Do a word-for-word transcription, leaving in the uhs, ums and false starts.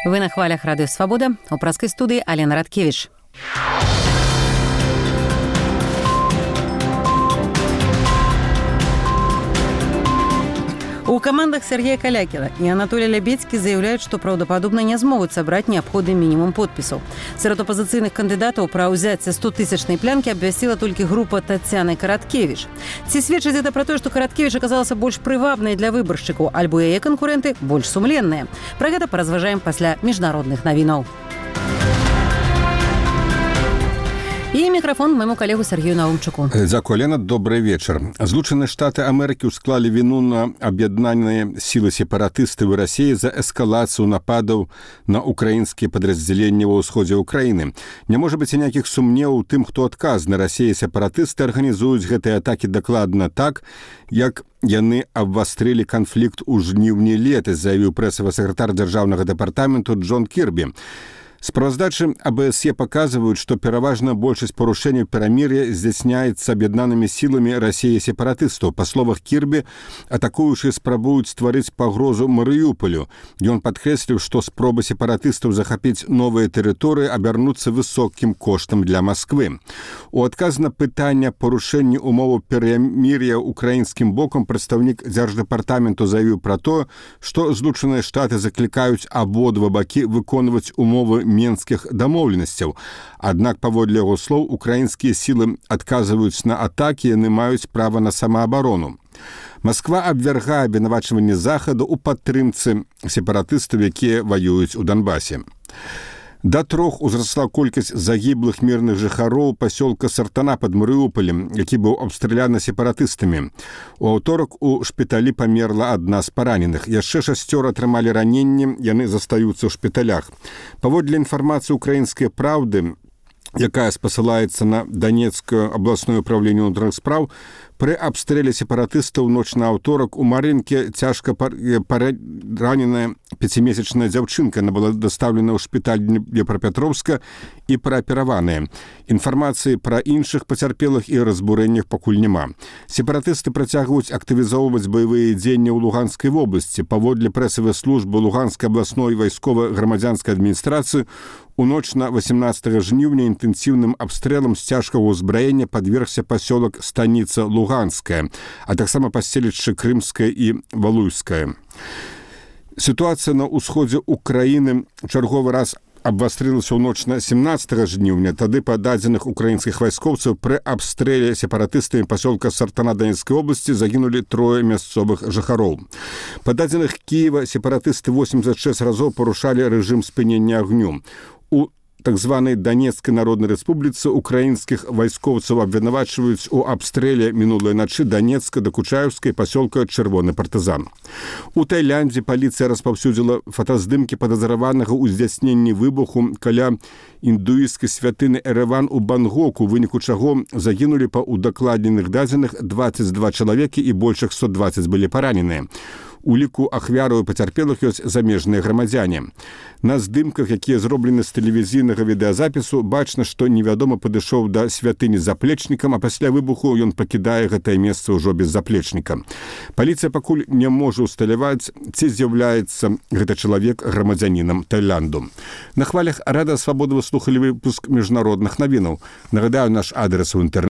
Вы на хвалях Радыё Свабода, у праскай студыі Алена Радкевіч. У командах Сергея Калякіна и Анатолия Лябедзькі заявляют, что правдоподобно не смогут собрать необходимый минимум подписов. Среди оппозиционных кандидатов про взятие стотысячной плянки обвестила только группа Татьяны Караткевич. Ці сведчыць это про то, что Караткевич оказался больше привабной для выборщиков, альбо яе конкуренты больше сумленные. Про это поразважаем после международных новинов. І мікрафон майму калегу Сергею Наумчуку. Дзякуй, Алена, добрый вечер. Злучаныя Штаты Амерыкі ўсклалі віну на аб'яднаныя сілы сепаратыстаў Расіі за эскалацыю нападаў на украінскія падраздзяленні ва ўсходзе ўкраіны. Не можа быць ніякіх сумневаў у тым, хто адказны. Расія сепаратысты арганізуюць гэтыя атакі дакладна так, як яны абвастрылі канфлікт у жніўні летась, заявіў прэсавы сакратар дзяржаўнага дэпартаменту Джон Кірбі. Справаздачы АБСЕ показывают, что пераважная большасць парушэнняў перамір'я здзяйсняецца аб'яднанымі сіламі Расіі сепаратыстаў. Па словах Кірбі, атакуючыя спрабуюць стварыць пагрозу Марыюполю. Ён падкрэсліў, што спробы сепаратыстаў захапіць новыя тэрыторыі абярнуцца высокім коштам для Масквы. У адказ на пытанне парушэння умоваў перамір'я украінскім бокам прадстаўнік дзярждэпартаменту заявіў пра тое, што Злучаныя Штаты заклікаюць абодва бакі выконваць умовы менскіх дамоўленасцяў. Аднак, паводле яго слоў, украінскія сілы адказваюць на атакі, яны маюць права на самаабарону. Масква абвяргае абвінавачванні Захаду ў падтрымцы сепаратыстаў, якія ваююць у Донбасе. Да трох узрасла колькасць загіблых мірных жыхароў пасёлка Сартана пад Марыуполем, які быў абстраляны сепаратыстамі. У аўторак у шпіталі памерла адна з параненых. Яшчэ шасцёра атрымалі раненні, яны застаюцца ў шпіталях. Паводле інфармацыі «Украінскай правды», якая спасылаецца на Донецкае абласное управленне ўнутраных спраў, пры абстрэле сепаратыстаў ноч на аўторак у Марынке цяжка параненая пяцімесячная дзяўчынка. Она была дастаўлена ў шпіталь Днепрапетровска і праапераваная. Інфармацыі пра іншых пацярпелых і разбурэннях пакуль няма. Сепаратысты працягваюць актывізоўваць баявыя дзеянні ў Луганскай вобласці. Паводле прэсавай службы Луганскай абласной вайскова-грамадзянскай адміністрацыі, у ноч на восемнадцатага жніўня інтэнсіўным абстрэлам з цяжкага ўзбраення падвергся пасёлак станіца Луганская, а таксама паселішчы Крымскае і Валуйскае. Сітуацыя на ўсходзе Украіны чарговы раз абвастрылася ў ноч на семнадцатага жніўня. Тады па дадзеных украінскіх вайскоўцаў пры абстрэле сепаратыстамі пасёлка Сартана Донецкай обласці загінулі трое мясцовых жыхароў. Па дадзеных Кіева сепаратысты восемьдесят шесть разоў парушалі рэжым спынення агню. У так званай Донецкай Народнай Рэспубліцы украінскіх вайскоўцаў абвінавачваюць у абстрэле мінулай начы Донецка, Дакучаеўскай, пасёлка Чырвоны партызан. У Таіландзе паліцыя распаўсюдзіла фотаздымкі падазраванага ў здзяйсненні выбуху каля індуісцкай святыны Эрэван у Бангоку, у выніку чаго загінулі па удакладненых дадзеных двадцать два чалавекі і больш як сто двадцать былі параненыя. У ліку ахвяраў і пацярпелых ёсць замежныя грамадзяне. На здымках, якія зроблены з тэлевізійнага відэазапісу, бачна, што невядома падышоў да святыні з заплечнікам, а пасля выбуху ён пакідае гэтае месца ўжо без заплечніка. Паліцыя пакуль не можа ўсталяваць, ці з'яўляецца гэта чалавек грамадзянінам Таіланду. На хвалях Радыё Свабода вы слухалі выпуск міжнародных навінаў. Нагадаю, наш адрес у інтэрнэце